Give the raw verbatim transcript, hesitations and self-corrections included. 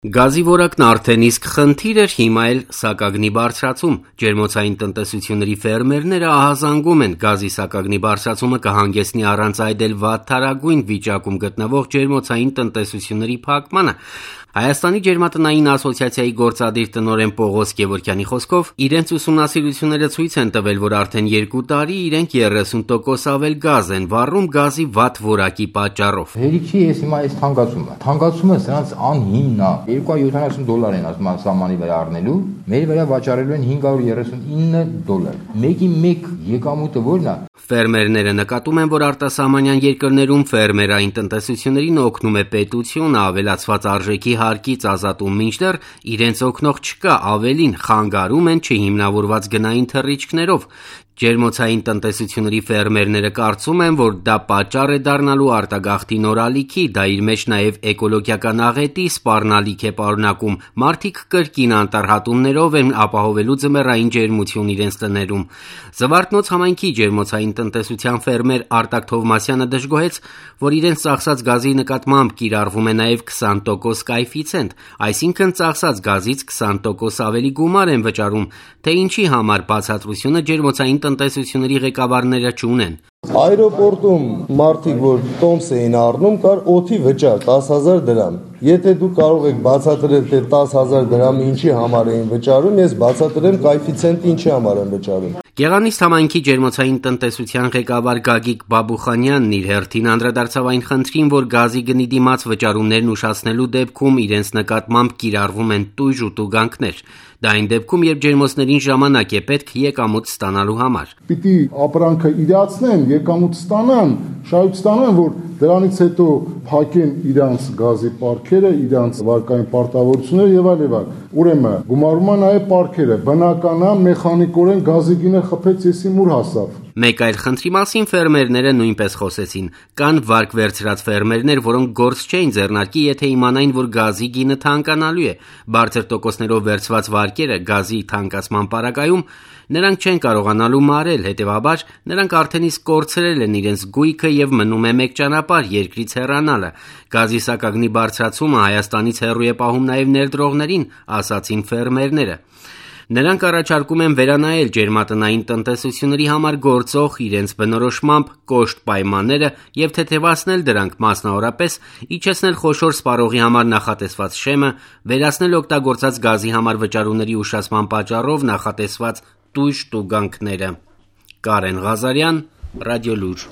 Գազի որակն արդեն իսկ խնդիր էր, հիմա էլ սակագնի բարձրացում։ Ջերմոցային տնտեսությունների ֆերմերները ահազանգում են գազի սակագնի բարձրացումը կհանգեցնի առանց այդ էլ վատթարագույն վիճակում գտնվող ջերմոցային տնտեսությունների փակմանը։ Հայաստանի ջերմատնային ասոցիացիայի գործադիր տնօրեն Պողոս Գևորգյանի խոսքով իրենց ուսումնասիրությունները ցույց են տվել, որ արդեն երկու տարի իրենք երեսուն տոկոս ավել գազ են վառում գազի վատ որակի պատճառով։ Հերիքի ես հիմա այս թանկացումը։ Թանկացումը սրանց անհիմն է։ երկու հարյուր յոթանասուն դոլար են ասում սահմանի վրա առնելու, մեր վրա վաճառելու են հինգ հարյուր երեսունինը դոլար։ Մեկի մեկ եկամուտը ո՞րն է։ Ֆերմերները նկատում են, որ արտասահմանյան երկրներում ֆերմերային տնտեսություններին օգնում է պետությունը ավելացված արժեքի հարկից ազատում, մինչդեռ իրենց օգնող չկա, ավելին խանգարում են չհիմնավորված գնային թռիչքներով։ Ջերմոցային տնտեսությունների ֆերմերները կարծում են, որ դա պատճառ է դառնալու արտագաղթի նոր ալիքի, դա իր մեջ նաև էկոլոգիական աղետի սպառնալիք է պարունակում։ Մարդիկ կրկին անտառհատումներով են ապահովելու ձմեռային ջերմություն իրենց տներում։ Զվարթնոց համայնքի ջերմոցային տնտեսության ֆերմեր Արտակ Թովմասյանը դժգոհեց, որ իրենց ծախսած գազի նկատմամբ կիրառվում է նաև քսան տոկոս կայֆիցենտ, այսինքն ծախսած գազից քսան տոկոս ավելի գումար են վճարում, թե ինչի համար բացատրությունը ջերմոցային տնտեսությունների ղեկավարները չունեն։ Այրոպորտում մարդիկ, որ տոմս էին առնում, կար օդի վճար տասը հազար դրամ։ Եթե դուք կարող եք բացատրել, թե տասը հազար դրամը ինչի համար էին վճարում, ես բացատրեմ կայֆիցենտը ինչի համար են վճարում։ Գեղանիստ համայնքի ջերմոցային տնտեսության ղեկավար Գագիկ Բաբուխանյանն իր հերթին անդրադարձավ այն խնդրին, որ գազի գնի դիմաց վճարումներն ուշացնելու դեպքում իրենց նկատմամբ կիրառվում են տույժ ու տուգանքներ։ Դա այն դեպքում, երբ ջերմոցներին ժամանակ է պետք եկամուտ ստանալու համար։ Պիտի ապրանքը իրացնեն, եկամուտ ստանան, շահույթ ստանան, որ դրանից հետո փակեն իրանց գազի պարքերը, իրանց վարկային պարտավորությունները եւ այլ եւ այլ։ Ուրեմն գումարումա նաեւ պարքերը, բնական է, մեխանիկորեն գազի գինը խփեց, եսի մուր հասավ։ Մեկ այլ խնդրի մասին ֆերմերները նույնպես խոսեցին։ Կան վարկ վերցրած ֆերմերներ, որոնք գործ չէին ձեռնարկի, եթե իմանային, որ գազի գինը թանկանալու է։ Բարձր տոկոսներով վերցված վարկերը գազի թանկացման պարագայում նրանք չեն կարողանալու մարել, հետևաբար նրանք արդեն իսկ կորցրել են իրենց գույքը եւ մնում է մեկ ճանապարհ՝ երկրից հեռանալը։ Գազի սակագնի բարձրացումը Հայաստանից հեռու է պահում նաեւ ներդրողներին, ասացին ֆերմերները։ Նրանք առաջարկում են վերանայել ջերմատնային տնտեսությունների համար գործող իրենց բնորոշմամբ կոշտ պայմանները եւ թեթևացնել դրանք, մասնավորապես իջեցնել խոշոր սպառողի համար նախատեսված շեմը, վերացնել օգտագործած գազի համար վճարումների ուշացման պատճառով նախատեսված տույժ տուգանքները։ Կարեն Ղազարյան, Ռադիոլուր։